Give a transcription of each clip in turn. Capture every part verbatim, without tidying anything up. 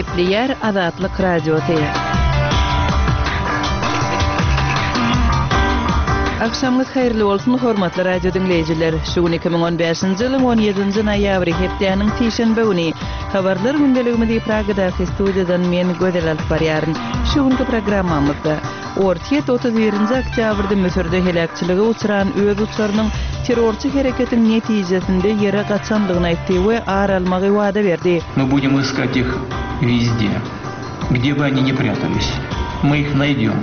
Gepleýär Azatlyk Radiosy. Agşamyňyz haýyrly bolsun, hormatly radio diňleýjiler! Şu gün iki müň on bäşinji ýylyň on ýedinji noýabry, hepdäniň sişenbe güni. Habarlar gündeligimizi Pragadaky studiýadan men Gözel alyp barýaryn. Şu günki programmamyzda, Orsýet otuz birinji oktýabrda Müsürde heläkçilige uçran öz uçarynyň terrorçy hereketiň netijesinde ýere gaçandygyny aýtdy we ar almagy wada berdi. Мы будем искать их везде, где бы они ни прятались. Мы их найдем.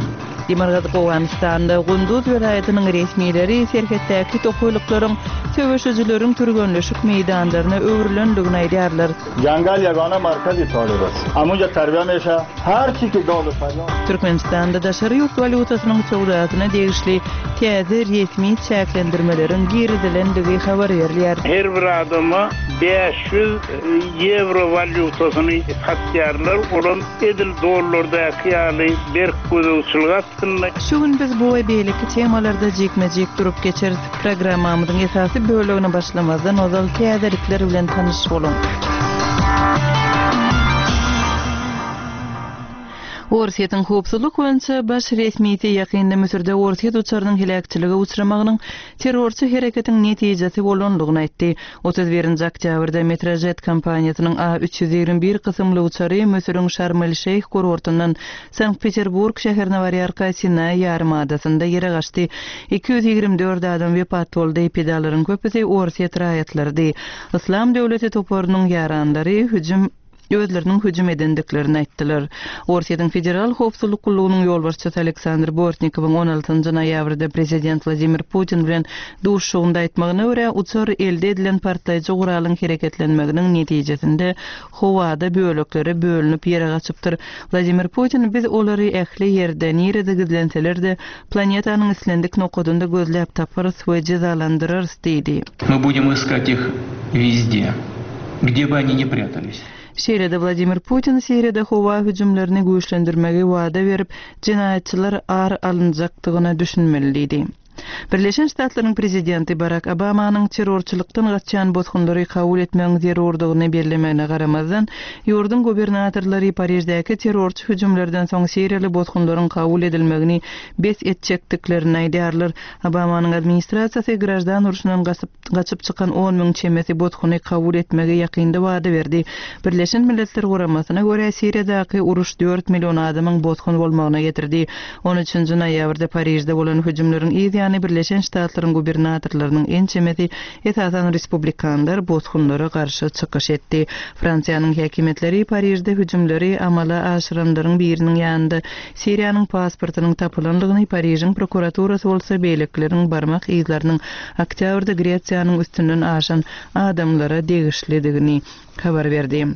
Demirgazyk Owganystanda Gunduz welaýatynyň resmileri serhetdäki tokaýlyklaryň söweşijileriň türgenleşik meýdanlaryna öwrülendigini aýdýarlar. Jangal ýagana markazy talyp ast. Amunja tarbiýa meşa her çi ki dogry farýat. Türkmenistanda daşary ýurt walýutasynyň söwdasyna degişli täze resmi çäklendirmeleriň girizilendigi habar berilýär. Her bir adama bäş ýüz ýewro walýutasyny satýarlar, olam edil dollardaky ýaly berk gözegçilik astynda. Şu gün biz bu we beýleki temalarda jikme-jik durup geçeris. Programmamyzyň esasy bölegine başlamazdan ozal täzelikler bilen tanyş boluň. Orsýetiň howpsuzlyk boýunça baş resmisi ýakynda Müsürde Orsýet uçarynyň heläkçilige uçramagynyň terrorçy hereketiň netijesi bolandygyny aýtdy. Otuz birinji oktýabrda Metrojet kompaniýasynyň A üç ýüz ýigrimi bir kysymly uçary Müsüriň Şarm-el-Şeýh kurortyndan Sankt-Peterburg şäherine barýarka Sinaý ýarymadasynda ýere gaçdy. Iki ýüz ýigrimi dört adam wepat boldy, pidalaryň köpüsi Orsýet raýatlarydy. Yslam döwleti toparynyň ýaranlary hüjüm özleriniň hüjüm edendiklerini aýtdylar. Orsýetiň Federal howpsuzlyk gullugynyň ýolbaşçysy Aleksandr Bortnikowyň on altynjy noýabrda prezident Wladimir Putin bilen duşuşygynda aýtmagyna görä, uçar elde edilen partlaýjy guralyň hereketlenmeginiň netijesinde howada böleklere bölünip ýere gaçypdyr. Wladimir Putin biz olary ähli ýerde, nirede gizlenseler-de, planetanyň islendik nokadynda gözläp taparys we jezalandyrarys diýdi. Мы будем искать их везде, где бы они ни прятались. Şeýle-de Wladimir Putin Siriýada howa hüjümlerini güýçlendirmegi wada berip, jenaýatçylar ar alynjakdygyna düşünmeli diýdi. Birleşen Ştatlaryň prezidenti Barak Obamanyň terrorçylykdan gaçýan bosgunlary kabul etmegiň zerurdygyny bellemegine garamazdan, ýurduň gubernatorlary Pariždäki terrorçy hüjümlerden soň siriýaly bosgunlaryň kabul edilmegini bes etjekdiklerini aýdýarlar. Obamanyň administrasiýasy graždan urşundan gaçyp çykan on müň çemesi bosguny kabul etmegi ýakynda wada berdi. Birleşen Milletler Guramasyna görä Siriýadaky uruş dört million adamyň bosgun bolmagyna getirdi. On üçünji noýabrda Parižde bolan hüjümleriň yz ýany Birleşen Ştatlaryň gubernatorlarynyň ençemesi esasan respublikanlar bosgunlara garşy çykyş etdi. Fransiýanyň häkimiýetleri Parižde hüjümleri amala aşyranlaryň biriniň ýanynda Siriýanyň pasportynyň tapylandygyny, Parižiň prokuraturasy bolsa beýlekileriň barmak yzlarynyň oktýabrda Gresiýanyň üstünden aşan adamlara degişlidigini habar berdi.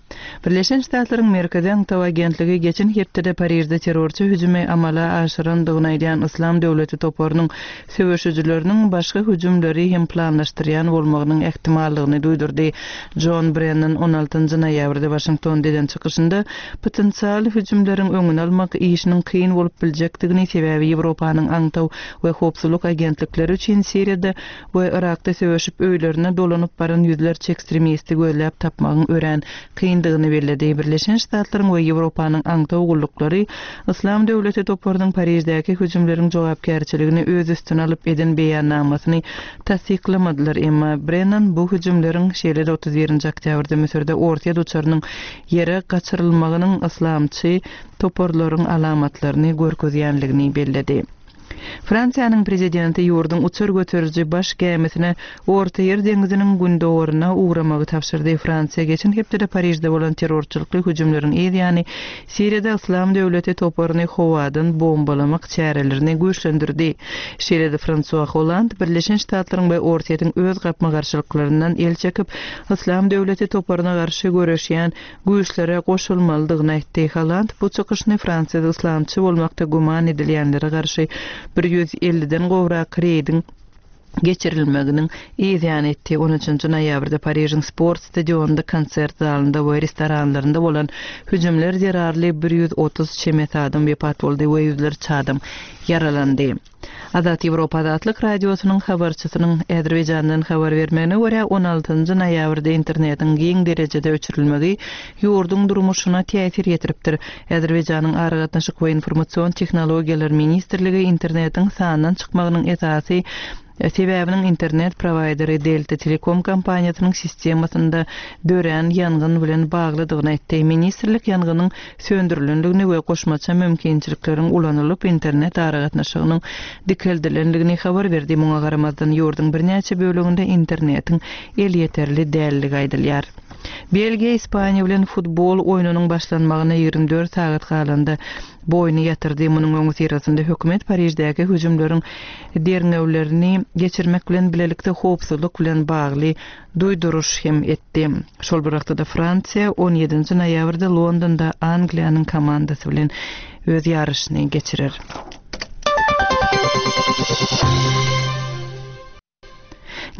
Birleşen Ştatlaryň Merkezi aňtaw agentligi geçen hepdede Parižde terrorçy hüjümi amala aşyrandygyny aýdýan Yslam döwleti toparynyň söweşijileriniň başga hüjümleri hem planlaşdyrýan bolmagynyň ähtimallygyny duýdurdy. John Brennan on altynjy noýabrda Waşingtonda eden çykyşynda potensial hüjümleriň öňüni almak işiniň kyn bolup biljekdigini, sebäbi Ýewropanyň aňtaw we howpsuzlyk agentlikleri üçin Siriýada we Irakda söweşip öýlerine dolanyp baran ýüzlerçe ekstremisti gözläp tapmagyň örän kyndygyny belledi. Birleşen Ştatlaryň we Ýewropanyň aňtaw gulluklary Yslam döwleti toparynyň Pariždäki hüjümleriň jogapkärçiligini öz üstüne alyp eden beýannamasyny tassyklamadylar. Emma Brennan bu hüjümleriň şeýle-de otuz birinji oktýabrda Müsürde Orsýet uçarynyň ýere gaçyrylmagynyň yslamçy toparlaryň alamatlaryny görkezýänligini belledi. Fransiýanyň prezidenti ýurduň uçar göteriji baş gämisine Orta Ýer deňziniň gündogaryna ugramagy tabşyrdy. Fransiýa geçen hepdede Parižde bolan terrorçylykly hüjümleriň yz ýany Siriýada Yslam döwleti toparyny howadan bombalamak çärelerini güýçlendirdi. Şeýle-de Fransua Holland Birleşen Ştatlaryň we Orsýetiň öz gapma-garşylyklaryndan el çekip, Yslam döwleti toparyna garşy göreşýän güýçlere goşulmalydygyny aýtdy. Holland bu çykyşyny Fransiýada yslamçy bolmakda güman edilýänlere garşy bir ýüz elliden gowrak reýdiň geçirilmeginiň yz ýany etdi. on üçünji noýabrda Parižiň sport stadionynda, konsert zalynda we restoranlarynda bolan hüjümler zerarly bir ýüz otuz çemesi adam wepat boldy we ýüzlerçe adam ýaralandy. Azat Ýewropa Azatlyk Radiosynyň habarçysynyň Azerbaýjandan habar bermegine görä on altynjy noýabrda internetiň giň derejede öçürilmegi ýurduň durmuşyna täsir ýetiripdir. Azerbaýjanyň Aragatnaşyk we informasion tehnologiýalar ministrligi internetiň sandan çykmagynyň esasy sebäbiniň internet prowaýderi Delta Telekom kompaniýasynyň sistemasynda dörän ýangyn bilen baglydygyny aýtdy. Ministrlik ýangynyň söndürilendigini we goşmaça mümkinçilikleriň ulanylyp internet aragatnaşygynyň dikeldilendigini habar berdi. Muňa garamazdan ýurduň birnäçe böleginde internetiň elýeterli dälligi aýdylýar. Belgiýa Ispaniýa bilen futbol oýnunyň başlanmagyna ýigrimi dört sagat galanda boýny ýatyrdy. Munuň öňüsyrasynda hökümet Pariždäki hüjümleriň derňewlerini geçirmek bilen bilelikde howpsuzlyk bilen bagly duýduruş hem etdi. Şol bir wagtda Fransiýa on ýedinji noýabrda Londonda Angliýanyň komandasy bilen öz ýaryşyny geçirer.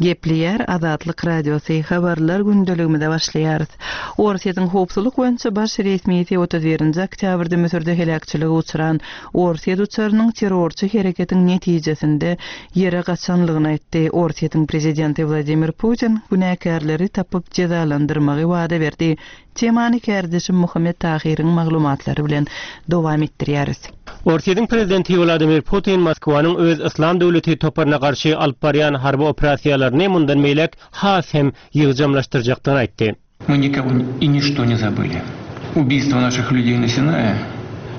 Gepleýär Azatlyk Radiosy habarlar gündeligimize başlaýarys. Orsýetiň howpsuzlyk boýunça baş resmisi otuz birinji oktýabrda Müsürde heläkçilige uçran Orsýet uçarynyň terrorçy hereketiň netijesinde ýere gaçanlygyny aýtdy. Orsýetiň prezidenti Wladimir Putin günäkärleri tapyp jezalandyrmagy wada berdi. Temany kärdeşim Muhammet Tahiriň maglumatlary bilen dowam etdirýäris. Orsýetiň prezidenti Wladimir Putin Moskwanyň öz Islam döwleti toparyna garşy alyp barýan harby operasiýalaryny mundan beýläk has hem ýygjamlaşdyrjakdygyny aýtdy. Мы никого и ничто не забыли. Убийство наших людей на Синае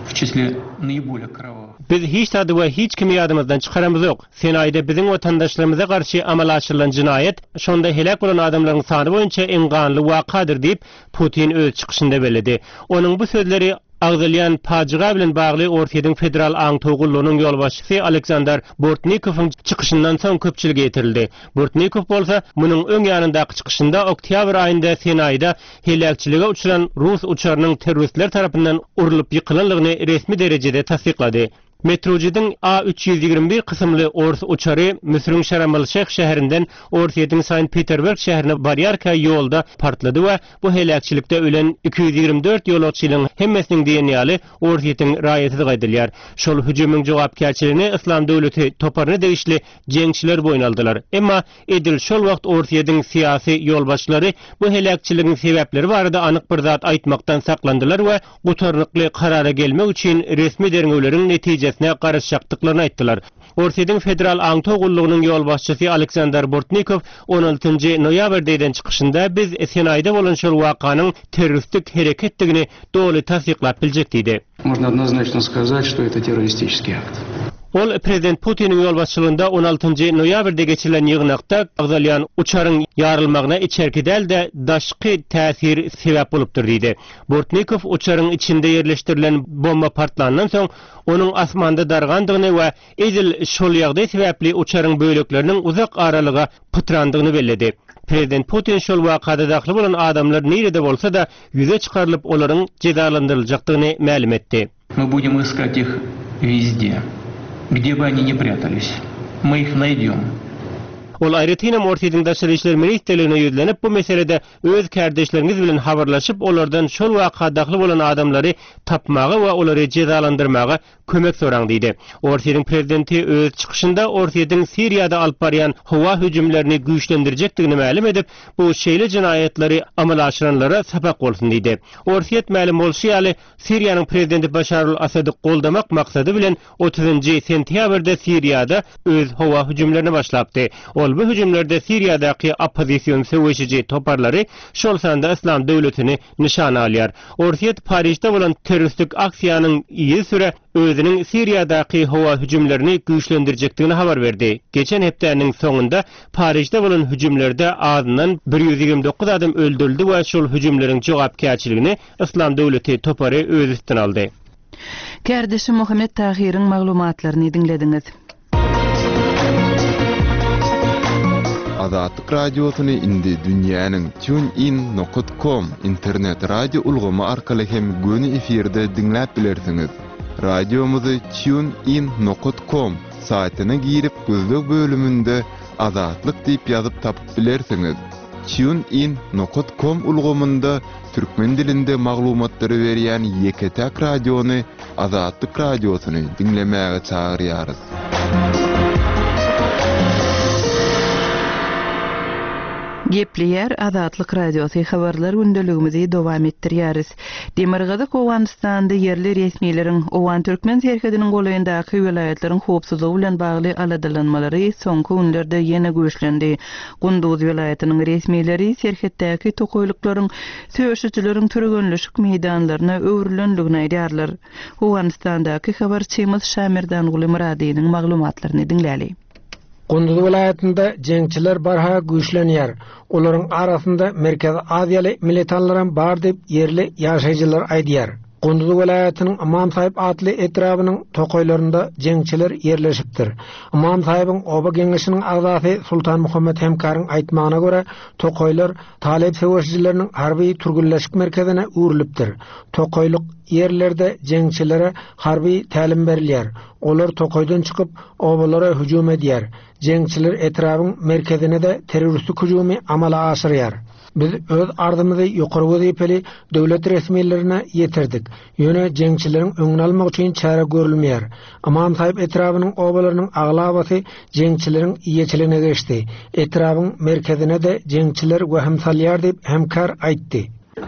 в числе наиболее кровавых. Biz hiç zady we hiç kimi ýadymyzdan çykaramyz ýok. Sinaýda biziň watandaşlarymyza garşy amala aşyrylan jinaýat, şonda helak bolan adamlaryň sany boýunça iň ganly wakadyr diýip Putin öz çykyşynda belledi. Onuň bu sözleri agzalýan pajyga bilen bagly Orsýetiň Federal aňtaw gullugynyň ýolbaşçysy Aleksandr Bortnikowyň çykyşyndan soň köpçülige ýetirildi. Bortnikow bolsa munuň öň ýanyndaky çykyşynda oktýabr aýynda Sinaýda heläkçilige uçran rus uçarynyň terroristler tarapyndan urulyp ýykylanlygyny resmi derejede tassyklady. Metrojidin A üç ýüz ýigrimi bir kysymly ors uçary Müsrüň Şarm-el-Şeyh şäherinden Orsýetiň Saint Peterburg şäherine barýarka ýolda partlady we bu heläkçilikde ölen iki ýüz ýigrimi dört ýolagçynyň hemmesiniň diýen ýaly Orsýetiň raýaty gaýdylýar. Şol hüjümiň jogapkärçiligini Islam döwleti toparyna degişli jeňçiler boýun aldylar. Emma edil şol wagt Orsýetiň syýasy ýolbaşçylary bu heläkçiligiň sebäpleri barada anyk bir zat aýtmakdan saklandylar we gutarnykly karara gelmek üçin resmi derňewleriň netijesine garaşjakdyklaryny aýtdylar. Orsýetiň Federal aňtaw gullugynyň ýolbaşçysy Aleksandr Bortnikow on altynjy noýabrda eden çykyşynda biz Sinaýda bolan şol wakanyň terroristik hereketdigini doly tassyklap biljek diýdi. Можно однозначно сказать, что это террористический акт. Ol Prezident Putiniň ýolbaşçylygynda on altynjy noýabrda geçirilen ýygnakda agzalýan uçaryň ýarylmagyna içerki däl-de daşky täsir sebäp bolupdyr diýdi. Bortnikow uçaryň içinde ýerleşdirilen bomba partlandan soň onuň asmanda dargandygyny we edil şol ýagdaý sebäpli uçaryň bölekleriniň uzak aralyga pytrandygyny belledi. Prezident Putin şol wakada dahil bolan adamlar nirede bolsa da ýüze çykarylyp olaryň jezalandyryljakdygyny mälim etdi. Мы будем искать их везде, где бы они ни прятались. Мы их найдем. Ol aýratynam Orsýetiň Daşary işler ministrligine ýüzlenip bu meselede öz kardeşleriňiz bilen habarlaşyp olardan şol waka dahil bolan adamlary tapmaga we olary jezalandyrmaga kömek soraň diýdi. Orsýetiň prezidenti öz çykyşynda Orsýetiň Siriýada alyp barýan howa hüjümlerini güýçlendirjekdigini mälim edip, bu şeýle jinaýatlary amala aşyranlara sapak bolsun diýdi. Orsýet mälim bolşy ýaly Siriýanyň prezidenti Başar al-Asady goldamak maksady bilen otuzynjy sentýabrda Siriýada öz howa hüjümlerini başlapdy. Ol bu hüjümlerde Siriýadaky oppozision söweşiji toparlary şol sanda Islam döwletini nyşana alýar. Orsýet Parižde bolan terroristik aksiýanyň ýygy süre özüniň Siriýadaky howa hüjümlerini güýçlendirjekdigini habar berdi. Geçen hepdäniň soňunda Parižde bolan hüjümlerde azyndan bir ýüz ýigrimi dokuz adam öldürildi we şol hüjümleriň jogapkärçiligini Islam döwleti topary öz üstüne aldy. Kärdeşim Muhammet Tahiriň maglumatlaryny diňlediňiz. Azatlyk radiosyny indi dünýäniň tunein nokta com internet radio ulgamy arkaly hem göni efirde diňläp bilersiňiz. Radiomyzy tunein nokta com saýtyna girip gözleg bölüminde Azatlyk diýip ýazyp tapyp bilersiňiz. TuneIn nokat com ulgamynda türkmen dilinde maglumatlary berýän ýeke-täk radiony Azatlyk radiosyny diňlemäge çagyrýarys. Gepleýär Azatlyk Radiosy habarlar gündeligimizi dowam etdirýäris. Demirgazyk Owganystanda ýerli resmileriň Owgan Türkmen serhediniň golaýyndaky welaýatlaryň howpsuzlygy bilen bagly aladalanmalary soňky günlerde ýene güýçlendi. Gunduz welaýatynyň resmileri serhetdäki tokaýlyklaryň söweşijileriň türgenleşik meýdanlaryna öwrülendigini aýdýarlar. Owganystandaky habarçymyz Şamirdanguly Myradynyň maglumatlaryny diňläli. Gunduz welaýatynda jeňçiler barha güýçlenýär. Olaryň arasynda Merkezi Aziýaly militanlaram bar diýip ýerli ýaşaýjylar aýdýar. Gunduz welaýatynyň Ymam Saýyp atly etrabynyň tokaýlarynda jeňçiler ýerleşipdir. Ymam Saýybyň oba geňeşiniň agzasy Sultan Muhammet Hemkaryň aýtmagyna görä, tokaýlar Talyp söweşijileriniň harby türgenleşik merkezine öwrülipdir. Tokaýlyk ýerlerde jeňçilere harby tälim berilýär. Olar tokaýdan çykyp obalara hüjüm edýär. Jeňçiler etrabyň merkezine de terroristik hüjümi amala aşyrýar. Biz öz ardymyzy ýokary wezipeli döwlet resmilerine ýetirdik. Ýöne jeňçileriň öňüni almak üçin çäre görülmeýär. Ymam Saýyp etrabynyň obalarynyň aglabasy jeňçileriň eýeçiligine geçdi. Etrabyň merkezine de jeňçiler wehim salýar diýip hemkar aýtdy.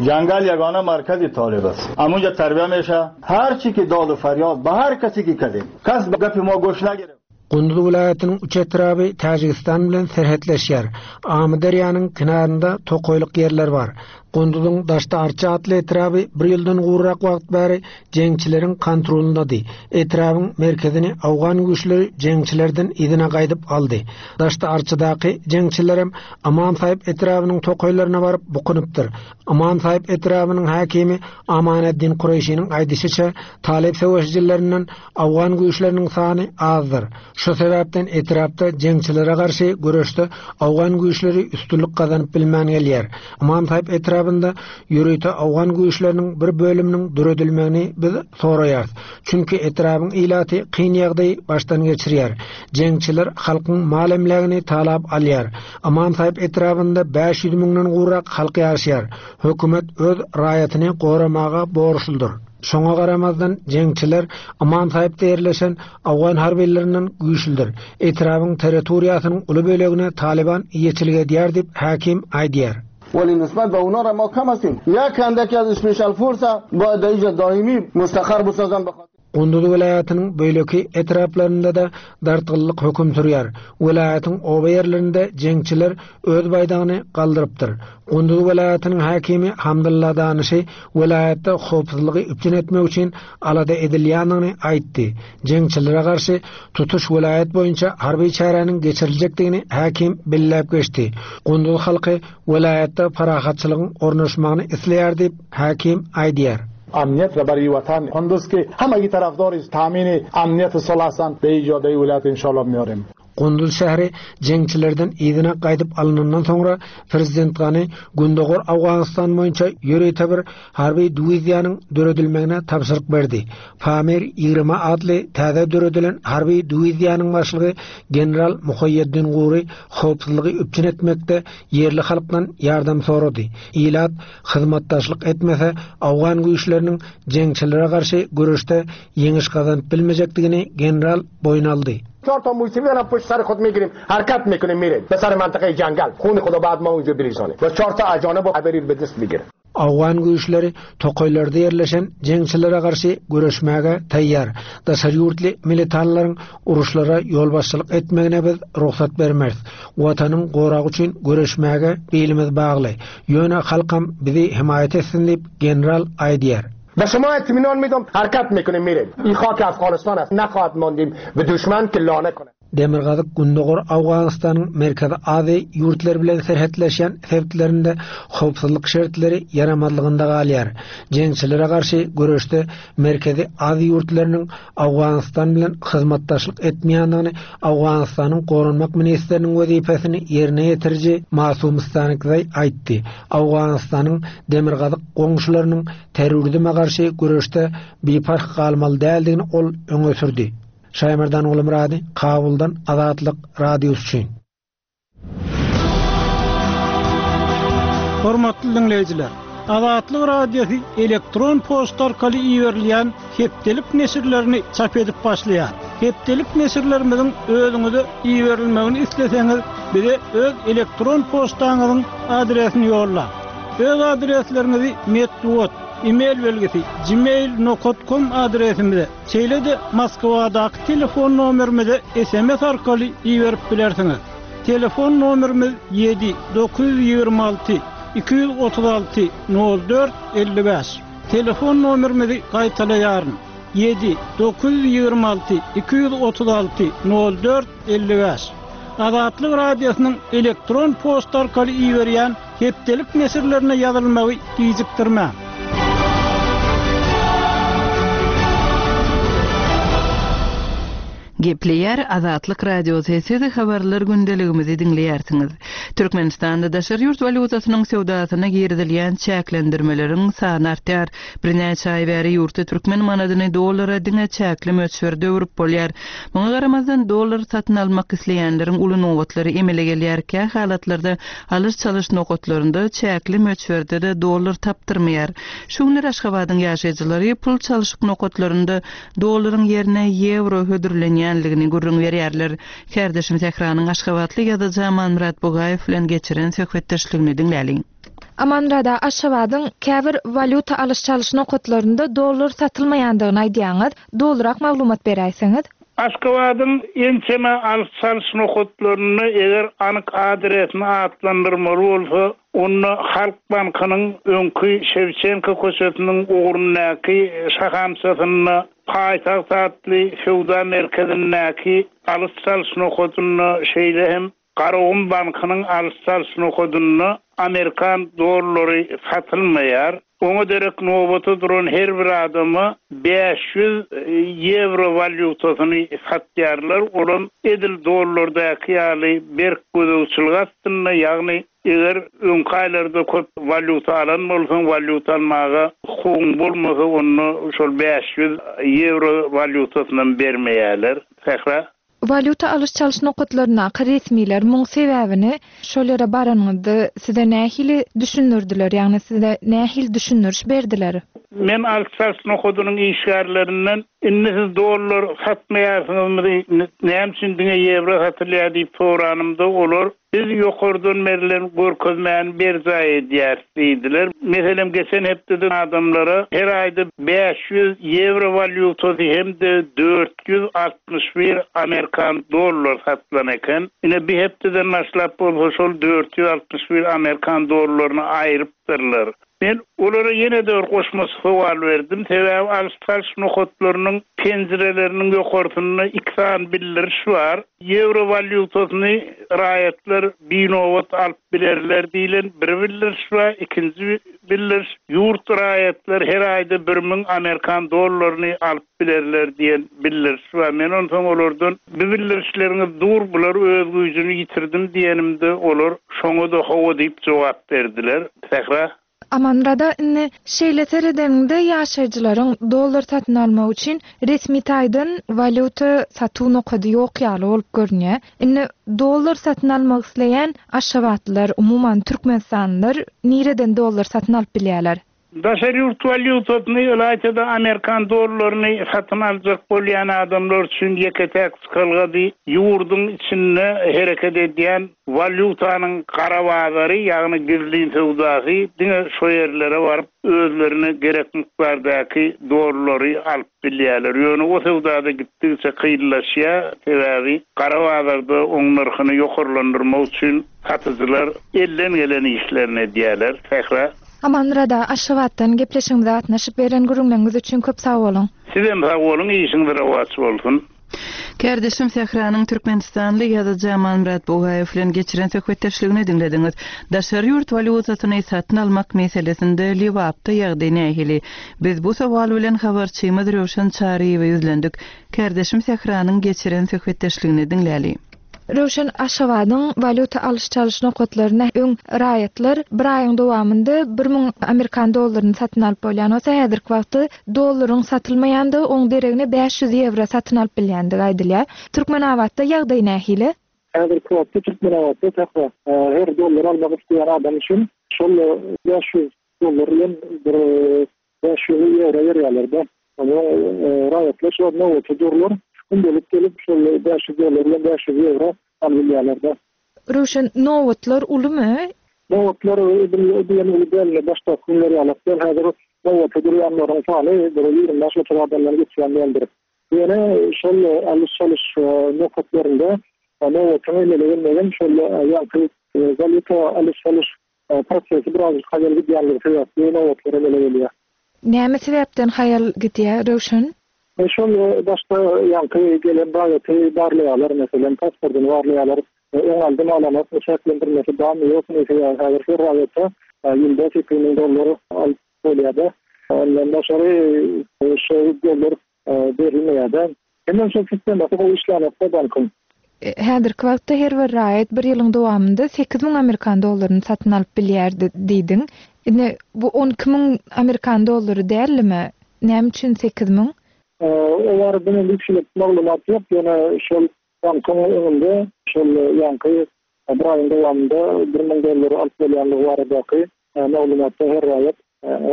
جنگل یگانه مرکزی طالب است همونجا تربیه میشه هر چی که داد و فریاد به هر کسی که کردیم کس به گپ ما گوش نگرفت. Gunduz welaýatynyň üç etraby Täjigistan bilen serhetleşýär. Amyderýanyň kenarynda tokaýlyk ýerler bar. Gunduzyň Daşda Arça atly etraby bir ýyldan gowrak wagt bäri jeňçileriň kontrolundady. Etrabyň merkezini Awgan güýçleri jeňçilerden yzyna gaýdyp aldy. Daşda Arçadaky jeňçilerem Ymam Saýyp etrabynyň tokaýlaryna baryp bukunypdyr. Ymam Saýyp etrabynyň häkimi Amaneddin Kureýşiniň aýdyşyça Talyp söweşijilerinden Awgan güýçleriniň sany azdyr. Şu sebäpden etrapda jeňçilere garşy göreşde Awgan güýçleri üstünlik gazanyp bilmän gelýär. Ymam Saýyp etrabynda ýörite Awgan güýçleriniň bir bölüminiň döredilmegini biz soraýarys. Çünki etrabyň ilaty kyn ýagdaýy başdan geçirýär. Jeňçiler halkyň mal emlägini talap alýar. Ymam Saýyp etrabynda bäş ýüz müňden gowrak halk ýaşaýar. Hökümet öz raýatyny goramaga borçludyr. Şoňa garamazdan jeňçiler Ymam Saýypda ýerleşen Awgan harbilerinden güýçlüdir. Etrabyň territoriýasynyň uly bölegine Taliban eýeçilik edýär diýip häkim aýdýar. ولی نسبت به اونا را ما کم هستیم. یک اندکی از اسپیشال فورس باید در اینجا دائمی مستقر بسازن به خاطر Gunduz welaýatynyň beýleki etraplarynda da dartgynlyk höküm sürýär. Welaýatyň oba ýerlerinde jeňçiler öz baýdagyny galdyrypdyr. Gunduz welaýatynyň häkimi Hamdulla Danyşy welaýatda howpsuzlygy üpjün etmek üçin alada edilýändigini aýtdy. Jeňçilere garşy tutuş welaýat boýunça harby çäräniň geçiriljekdigini häkim belläp geçdi. Gunduz halky welaýatda parahatçylygyň ornaşmagyny isleýär diýip häkim aýdýar. امنیت را برای وطن قندوز که همگی طرفدار تامین امنیت صلح هستند به ایجاد ولایت انشالله میاریم. Gunduz şäheri jeňçilerden yzyna gaýdyp alynandan soňra prezident Gani Gündogar Awganistan boýunça ýörite bir harby diwiziýanyň döredilmegine tabşyryk berdi. Pamir ýigrimi atly täze döredilen harby diwiziýanyň başlygy general Muhaýyeddin Guri howpsuzlygy üpjün etmekde ýerli halkdan ýardam sorady. Ilat hyzmatdaşlyk etmese Awgan güýçleriniň jeňçilere garşy göreşde ýeňiş gazanyp bilmejekdigini general boýun aldy. چهار تا موسیقی الان پشت سر خود میگیریم، حرکت میکنیم، میریم به سر منطقه جنگل، خون خدا بعد ما اونجا بریزانه و چهار تا اجانب رو به دست میگیره. Awgan güýçleri tokaýlarda ýerleşen jeňçilere garşy göreşmäge taýýar. Daşary ýurtly militanlaryň uruşlara ýolbaşçylyk etmegine biz rugsat bermeris. Watanyň goragy üçin göreşmäge bilimiz bagly. Ýöne halkam bizi himaýat etsin diýip general aýdýar. به شما اطمینان میدم حرکت میکنیم میریم. این خاک افغانستان است، نخواهد ماندیم به دشمن که لانه کنه. Demirgazyk Gündogar Awganystanyň Merkezi Aziýa ýurtlary bilen serhetleşen sebitlerinde howpsuzlyk şertleri ýaramazlygynda galýar. Jeňçilere garşy göreşde Merkezi Aziýa ýurtlarynyň Awganistan bilen hyzmatdaşlyk etmeýändigini Awganistanyň Goranmak ministriniň wezipesini ýerine ýetiriji Masum Stanikzay aýtdy. Awganistanyň demirgazyk goňşularynyň terrorizme garşy göreşde biparh galmaly däldigini ol öňe sürdi. Şaýmerdan Gulmurady, Kabuldan Azatlyk radiosy üçin. Hormatly dinleýjiler, Azatlyk Radiosy elektron poçta arkaly iberilýän hepdelik neşirlerini çap edip başlaýar. Hepdelik neşirlerimiziň özüňize iberilmegini isleseňiz, bize öz elektron poçtaňyzyň adresini ýolla. Öz adresleriňizi metbugat, e-mail belgisi gmail.com adresimize, şeýle-de Moskwadaky telefon nomerimize SMS arkaly iberip bilersiňiz. Telefon nomerimiz ýedi dokuz ýüz ýigrimi alty iki ýüz otuz alty nol dört elli bäş. Telefon nomerimizi gaýtalaýaryn. Ýedi dokuz ýüz ýigrimi alty iki ýüz otuz alty nol dört elli bäş. Azatlyk Radiosynyň elektron poçta arkaly iberýän hepdelik neşirlerine ýazylmagy gijikdirmäň. Gepleýär Azatlyk Radiosy, siz habarlar gündeligimizi diňleýärsiňiz. Türkmenistanda daşary ýurt walýutasynyň söwdasyna girizilýän çäklendirmeleriň sany artýar. Birnäçe aý bäri ýurtda türkmen manadyny dollara diňe çäkli möçberde öwrüp bolýar. Muňa garamazdan dollar satyn almak isleýänleriň uly nobatlary emele gelýär. Kä halatlarda alyş-çalyş nokatlarynda çäkli möçberde-de dollar tapdyrmaýar. Şu günler Aşgabadyň ýaşaýjylary pul çalyşyk nokatlarynda dollaryň ýerine ýewro hödürlenýänligini gürrüň berýärler. Kärdeşim Sähranyň Aşgabatly ýazyjy Amanmyrat Bugaýew bilen geçiren söhbetdeşligini diňläliň. Amanmyrada, Aşgabadyň käbir walýuta alyş-çalyş nokatlarynda dollar satylmaýandygyny aýdýaňyz. Dolurak maglumat beräýseňiz. Aşgabadyň ençeme alyş-çalyş nokatlarynda eger anyk adresini atlandyrmaly bolsa, onda Halk Bankynyň öňki Şewçenko köçesiniň ugrundaky şahamçasynda, Paýtagt atly söwda merkezindäki alyş-çalyş nokatynda, şeýle hem Garagum Bankynyň alyş-çalyş nokatynda Amerikan dollary satylmaýar. Oňa derek nobata duran her bir adama bäş ýüz ýewro walýutasyny satýarlar. Olam edil dollardaky ýaly berk gözegçilik astynda, ýagny eger öňki aýlarda köp walýuta alan bolsaň, walýuta almaga hukugyň bolmasa, onda şol bäş ýüz ýewro walýutasyndan bermeýärler. Sähra. Walýuta alyş-çalyş nokatlaryndaky resmiler muň sebäbini şol ýere baranyňyzda size nähili düşündirdiler, ýagny size nähili düşündiriş berdiler? Men alyş-çalyş nokadynyň işgärlerinden indi siz dollar satmaýarsyňyzmy, näme üçin diňe ýewro satylýar diýip soranymda, olar biz ýokardan berlen görkezmäni berjaý edýäris diýdiler. Meselem, geçen hepdede adamlara her aýda bäş ýüz ýewro walýutasy hem-de dört ýüz altmyş bir Amerikan dollar satylan eken. Ine bir hepdeden başlap bolsa şol dört ýüz altmyş bir Amerikan dollaryny aýrypdyrlar. Men olara ýene de bir goşmaça sowal berdim. Sebäbi alyş-çalyş nokatlarynyň penjireleriniň ýokarsynda iki sany bildiriş bar. Ýewro walýutasyny raýatlar binobat alyp bilerler diýlen bir bildiriş bar. Ikinji bildiriş, ýurt raýatlar her aýda bir müň Amerikan dollaryny alyp bilerler diýen bildiriş bar. Men onsoň olardan bu bildirişleriňiz dur, bular öz güýjüni ýitirdim diýenimde olar şoňa da hawa diýip jogap berdiler. Sähra. Amanmyrada, indi şeýle seredeniňde ýaşaýjylaryň dollar satyn almak üçin resmi taýdan walýuta satuw nokady ýok ýaly bolup görünýär. Indi dollar satyn almak isleýän Aşgabatlylar, umuman Türkmenistanlylar nireden dollar satyn alyp bilýärler? Daşary ýurt walýutasyny, ylaýta-da Amerikan dollaryny satyn aljak bolýan adamlar üçin ýeke-täk çykalgady ýurduň içinde hereket edýän walýutanyň gara bazary, ýagny gizlin söwdasy, diňe şo ýerlere baryp özlerine gerek mikdardaky dollary alyp bilýärler. Ýöne o söwdada gitdikçe kynlaşýar, sebäbi gara bazarda oň nyrhyny ýokarlandyrmak üçin satyjylar elden gelen işlerini edýärler. Sähra. Amanmyrada, Aşgabatdan gepleşigimize gatnaşyp beren gürrüňleriňiz üçin köp sag boluň. Sizem sag boluň, işiňiz rowaç bolsun. Kärdeşim Sähranyň Türkmenistanly ýazyjy Amanmyrat Bugaýew bilen geçiren söhbetdeşligini diňlediňiz. Daşary ýurt walýutasyny satyn almak meselesinde Lebapda ýagdaý nähili? Biz bu sowal bilen habarçymyz Röwşen Çaryýewe ýüzlendik. Kärdeşim Sähranyň geçiren söhbetdeşligini diňläli. Röwşen, Aşgabadyň walýuta alyş-çalyş nokatlaryna öň raýatlar bir aýyň dowamynda bir müň Amerikan dollaryny satyn alyp bolýan bolsa, häzirki wagtda dollaryň satylmaýandygy, oň deregine bäş ýüz ýewro satyn alyp bilýändigi aýdylýar. Türkmenabatda ýagdaý nähili? Häzirki wagtda Türkmenabatda sähra, her dollar almak isleýän adam üçin Şol bäş ýüz dollar bilen bir bäş ýüz ýewro berýärler-de. Onuň raýatlar şol nobata durlar. Gündelik gelip şol bäş ýüz dollar bilen bäş ýüz ýewro alyp bilýärler-de. Röwşen, nobatlar ulumy? Nobatlar edil diýen uly däl, başdaky günler ýaly däl. Häzir nobata durýanlaryň sany bir ýigrimi bäş otuz adamdan geçýän däldir. Ýöne şol alyş-çalyş nokatlarynda nobatyň emele gelmegem şol ýaňky walýuta alyş-çalyş prosesi birazajyk haýal gidýänligi sebäpli nobatlar emele gelýär. Näme sebäpden haýal gidýär, Röwşen? Şol başda ýaňky gelen raýaty barlaýarlar, meselem, pasportyny barlaýarlar. Öň aldym alanok, çäklendirmesi barmy ýokmy, sebäbi häzir her raýata ýylda sekiz müň dollar alyp bolýar-da. Ondan daşary şol dollar berilmeýär-de. Hemen şol sistemasy gowy işlänokda bankyň. Häzirki wagtda her bir raýat bir ýylyň dowamynda sekiz müň amerikan dollaryny satyn alyp bilýärdi diýdiň. Indi bu on iki müň amerikan dollary dälmi? Näme üçin sekiz müň? O barada men hiç maglumat ýok. Ýöne şol bankyň öňünde şol ýaňky bir aýyň dowamynda bir müň dollar alyp bolýanlygy baradaky maglumatda her raýat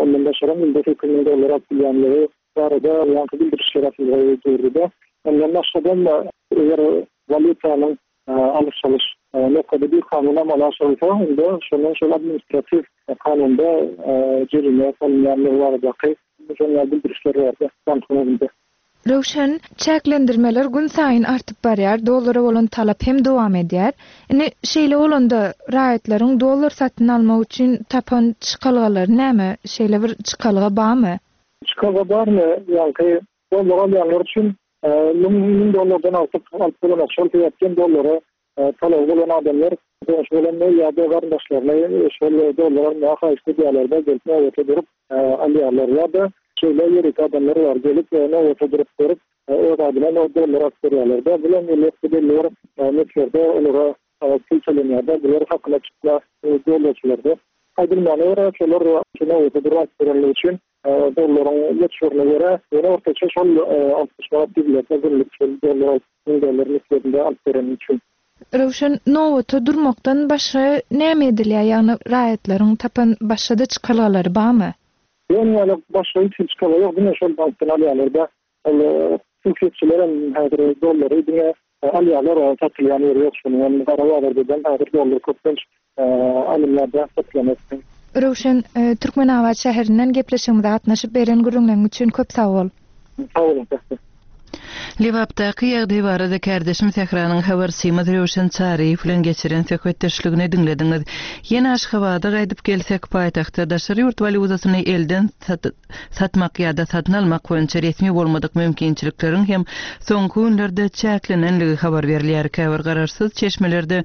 ondan daşary ýylda sekiz müň dollar alyp bilýänligi barada ýaňky bildirişler atylgy durdy-da. Ondan başgadan da eger walýutanyň alyş-çalyş nokady bir kanun amala aşyrylsa, onda şonuň şol administratiw kanunda jerime salynýanlygy baradaky şonuň bildirişler bardy bankyň öňünde. Röwşen, çäklendirmeler gün saýyn artyp barýar, dollara bolan talap hem dowam edýär. Indi şeýle bolanda raýatlaryň dollar satyn almak üçin tapan çykalgalary näme? Şeýle bir çykalga barmy? Çykalga barmy? Ýaňky dollar alýanlar üçin müň, müň dollardan artyk alyp bolanok. Şol sebäpden dollara talaby bolan adamlar goňşy bolan ýa-da garyndaşlaryny şol dollar almaga haýyşt edýärler-de, gelip nobata durup alýarlar. Ýa-da şeýle ýörite adamlar bar, gelip nobata durup görüp öz adyna dollar alyp berýärler-de. Bular elbetde belli bir möçberde olara pul tölenýär-de, bular hakyna çykma dollarçylarda. Aýdylmagyna görä, şolar nobata durup alyp berenligi üçin dollaryň möçberine görä, ýöne ortaça şol altmyş manat diýilýär, günlük şol dollar alyp, müň dollar möçberinde alyp bereni üçin. Röwşen, nobata durmakdan başga näme edilýär? Ýagny raýatlaryň tapan başga-da çykalgalary barmy? Ýöne ýaly başga hiç çykalga ýok, diňe şol bankdan alýarlar-da. Ol hususiyetçiler hem häzir dollary diňe alýarlar, satylýan ýeri ýok. Şonuň hem gara bazardan häzir dollar köplenç alynýar-da, satylanok. Röwşen, Türkmenabat şäherinden gepleşigimize gatnaşyp beren gürrüňleriň üçin köp sag bol. Sag boluň, Sähra. Lebapdaky ýagdaý barada kardeşim Sähranyň habarçymyz Röwşen Çaryýew bilen geçiren söhbetdeşligini diňlediňiz. Ýene Aşgabada gaýdyp gelsek, paýtagtda daşary ýurt walýutasyny elden sat-, satmak ýa-da satyn almak boýunça resmi bolmadyk mümkinçilikleriň hem soňky günlerde çäklenenligi habar berilýär. Käbir garaşsyz çeşmelerde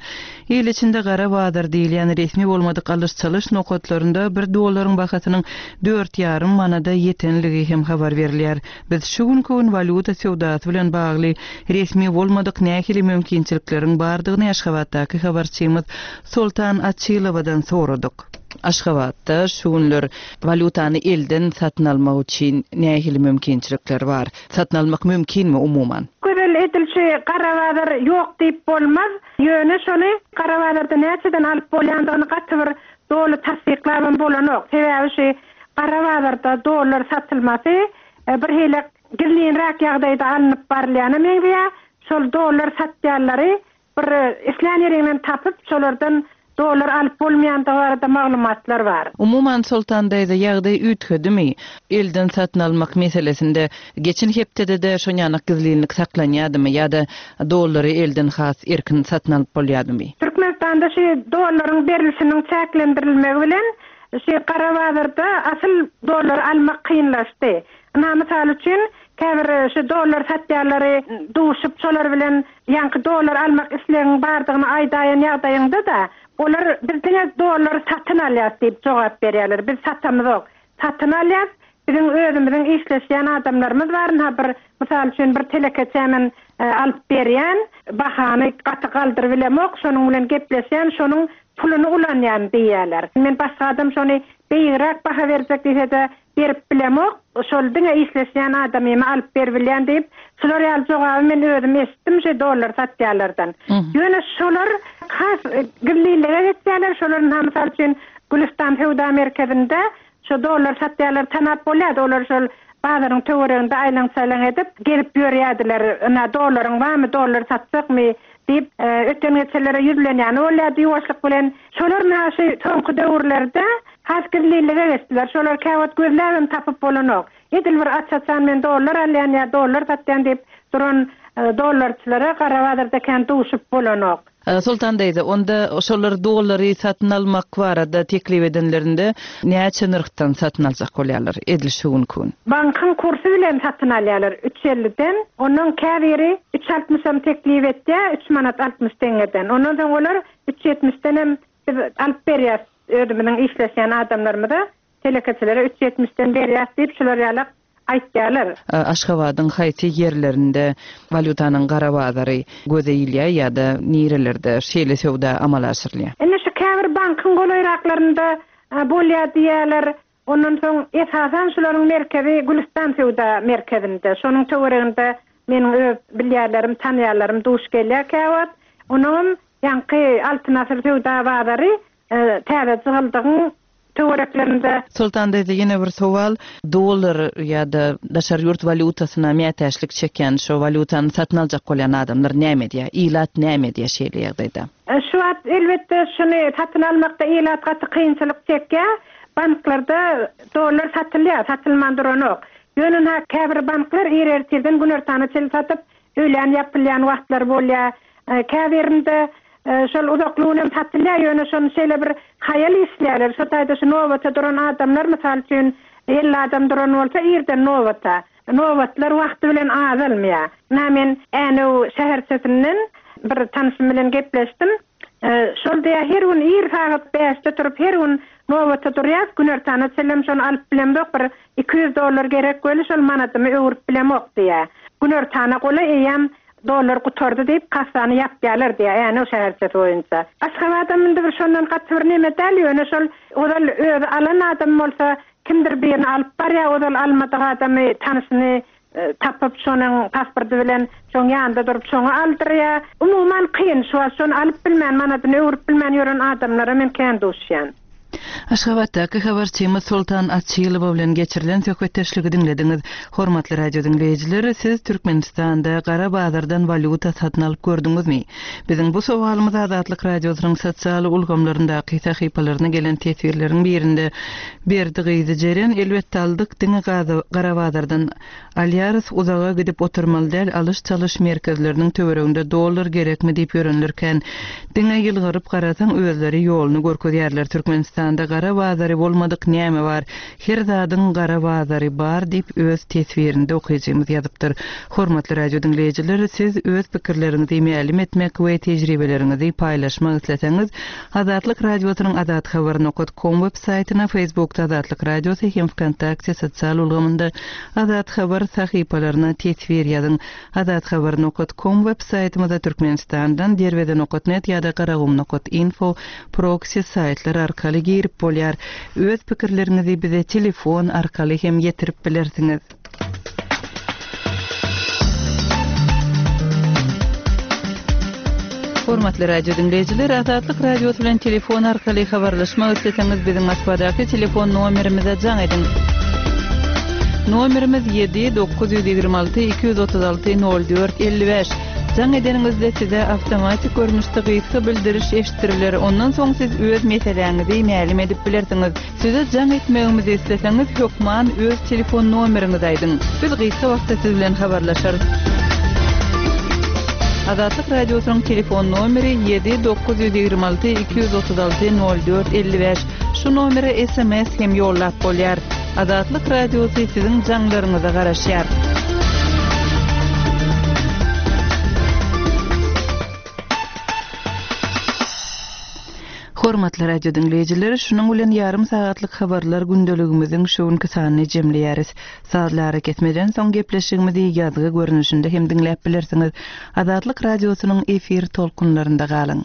il içinde gara bazar diýilýän resmi bolmadyk alyş-çalyş nokatlarynda bir dollaryň bahasynyň dört ýarym manada ýetenligi hem habar berilýär. Biz şu günki gün walýuta söwdasy bilen bagly resmi bolmadyk nähili mümkinçilikleriň bardygyny Aşgabatdaky habarçymyz Soltan Açylowadan soradyk. Aşgabatda şu günler walýutany elden satyn almak üçin nähili mümkinçilikler bar? Satyn almak mümkinmi umuman? Gözel edilşi gara bazar ýok diýip bolmaz. Ýöne şony gara bazarda näçeden alyp bolýandygyny gaty bir doly tassyklabam bolanok. Sebäbi şu gara bazarda dollar satylmasy, e, bir hili gizlinräk ýagdaýda alnyp barylýana meňzeýär. Şol dollar satýanlary bir islän ýerinden tapyp, şolardan dollar alyp bolmaýandygy barada maglumatlar bar. Umuman Soltan daýza ýagdaý üýtgedimi? Elden satyn almak meselesinde geçen hepdede-de şonýanak gizlinlik saklanýardymy ýa-da dollary elden has erkin satyn alyp bolýardymy? Türkmenistanda şu dollaryň berilişiniň çäklendirilmegi bilen şu gara bazarda asyl dollar almak kynlaşdy. Ynha, mysal üçin, käbir şu dollar satýanlary duşup, şolar bilen ýaňky dollar almak islegiň bardygyny aýdaýan ýagdaýyňda-da, olar biz diňe dollar satyn alýas diýip jogap berýärler. Biz satamyzok. Satyn alýas, biziň özümiziň işleşýän adamlarymyz bar. Ynha, bir mysal üçin bir telekeçämen, e, alyp berýän, bahany gaty galdyryp bilemok, şonuň bilen gepleşýän, şonuň puluny ulanýan diýýärler. Men başga adam şony beýigräk baha berjek diýse-de berip bilemok, şol diňe işleşýän adamymy alyp beribilýän diýip, şular ýaly jogaby men özüm eşitdim şu dollar satýarlardan. Ýöne şolar has gizlinlige geçýärler, şolar mysal üçin Gülistan söwda merkezinde şu dollar satýarlar tanap bolýardy, olar şol bazaryň töwereginde aýlan-çaýlan edip gelip ýörýärdiler. Ina dollaryň barmy, dollar satjakmy diýip, öten geçenlere ýüzlenýäni bolýardy ýuwaşlyk bilen. Şolar näşe soňky döwürlerde has gizlinlige geçdiler. Şolar käwagt gözläbem tapyp bolanok. Edil bir aç-açan men dollar alýan ýa dollar satýan diýip duran dollarçylara gara bazarda kän duşup bolanok. Sultan daýza, onda şolar dollary satyn almak barada teklip edenlerinde näçe nyrhdan satyn aljak bolýarlar edil şu günki gün? Bankyň kursy bilen satyn alýarlar üç elliden, ondan käbiri üç altmyşam teklip etýär, üç manat altmyş teňňeden. Ondan soň olar üç ýetmişden hem biz alyp berýäs özümiziň işleşýän adamlarymyza, telekeçilere üç ýetmişden berýäs diýip şular ýaly aýtýarlar. Aşgabadyň haýsy ýerlerinde walýutanyň gara bazary göze ilýär ýa-da nirelerde şeýle söwda amala aşyrylýar? Indi şu käbir bankyň golaýraklarynda bolýar diýýärler. Ondan soň esasan şularyň merkezi Gülistan söwda merkezinde. Şonuň töwereginde meniň öz bilýärlerim, tanýarlarym duş gelýär käwagt. Onuň ýaňky Altyn asyr söwda bazary täze jygyldygyň töwereklerinde. Sultan daýza, ýene bir sowal, dollar ýa-da daşary ýurt walýutasyna mätäçlik çekýän, şo walýutany satyn aljak bolýan adamlar näme edýär? Ilat näme edýär şeýle ýagdaýda? Şu wagt elbetde şuny satyn almakda ilat gaty kynçylyk çekýär. Banklarda dollar satylýar, satylman duranok. Ýöne ha käbir banklar ir ertirden günortana çenli satyp, öýlän ýapylýan wagtlar bolýar. Käbirinde şol uzaklygyny hem satylýar, ýöne şony şeýle bir haýal işleýärler. Şo taýda şu nobata duran adamlar, mysal üçin elli adam duran bolsa irden nobata. Nobatlar wagty bilen azalmaýar. Na men Änew şäherçesinden bir tanışym bilen gepleşdim. Şol diýär, her gün ir sagat bäşde turup her gün nobata durýar, günortana çenli şony alyp bilemok, bir iki ýüz dollar gerek weli şol manadymy öwürip bilemok diýär. Günortana gola eýem dollar gutardy diýip kassany ýapýarlar diýär, Änew şäherçesi boýunça. Aşgabatda indi bir şondan gaty bir neme däl, ýöne şol ozal özi alan adam bolsa kimdir birini alyp barýar, ozal almadyk adamy tanyşyny tapyp şonuň pasporty bilen şoň ýanynda durup şoňa aldyrýar. Umuman kyn, şu wagt şony alyp bilmän, manadyny öwürip bilmän ýören adamlara men kän duşýan. Aşgabatdaky habarçymyz Sultan Açylowa bilen geçirilen söhbetdeşligi diňlediňiz. Hormatly radio diňleýjiler, siz Türkmenistanda gara bazardan walýuta satyn alyp gördüňizmi? Biziň bu sowalymyz Azatlyk Radiosynyň sosial ulgamlaryndaky sahypalaryna gelen teswirleriň birinde Berdi gyzy Jeren, elbetde aldyk, diňe gara bazardan alýarys, uzaga gidip oturmaly däl, alyş-çalyş merkezleriniň töwereginde dollar gerekmi diýip ýörenlerken, diňe ýylgyryp garasaň özleri ýoluny görkezýärler. Türkmenistanda gara bazary bolmadyk näme bar? Her zadyň gara bazary bar diýip öz teswirinde okyjymyz ýazypdyr. Hormatly radio diňleýjiler, siz öz pikirleriňizi mälim etmek we tejribeleriňizi paýlaşmak isleseňiz, Azatlyk Radiosynyň azathabar nokta com web saýtyna, Facebookda Azatlyk Radiosy hem Vkontakte sosial ulgamynda Azat Habar sahypalaryna teswir ýazyň. Azathabar nokta com web saýtymyzda Türkmenistandan derweze nokta net ýa-da garagum nokta info proxy saýtlar arkaly girip bolýar. Öz pikirleriňizi bize telefon arkaly hem ýetirip bilersiňiz. Hormatly radio diňleýjiler, Azatlyk Radiosy bilen telefon arkaly habarlaşmak isleseňiz biziň Moskwadaky telefon nomerimize jaň ediň. Nomerimiz ýedi dokuz ýüz ýigrimi alty iki ýüz otuz alty nol dört elli bäş. Jaň edeniňizde size awtomatik görnüşde gysga bildiriş eşitdiriler. Ondan soň siz öz meseläňizi mälim edip bilersiňiz. Size jaň etmegimizi isleseňiz hökman öz telefon nomeriňizi aýdyň. Biz gysga wagtda siz bilen habarlaşarys. Azatlyk Radiosynyň telefon nomeri ýedi dokuz ýüz ýigrimi alty iki ýüz otuz alty nol dört elli bäş. Şu nomere S M S hem ýollap bolýar. Azatlyk Radiosy siziň jaňlaryňyza garaşýar. Hormatly radio diňleýjiler, şunuň bilen ýarym sagatlyk habarlar gündeligimiziň şu günki sanyny jemleýäris. Sazlary kesmeden soň gepleşigimizi ýazgy görnüşinde hem diňläp bilersiňiz. Azatlyk Radiosynyň efir tolkunlarynda galyň.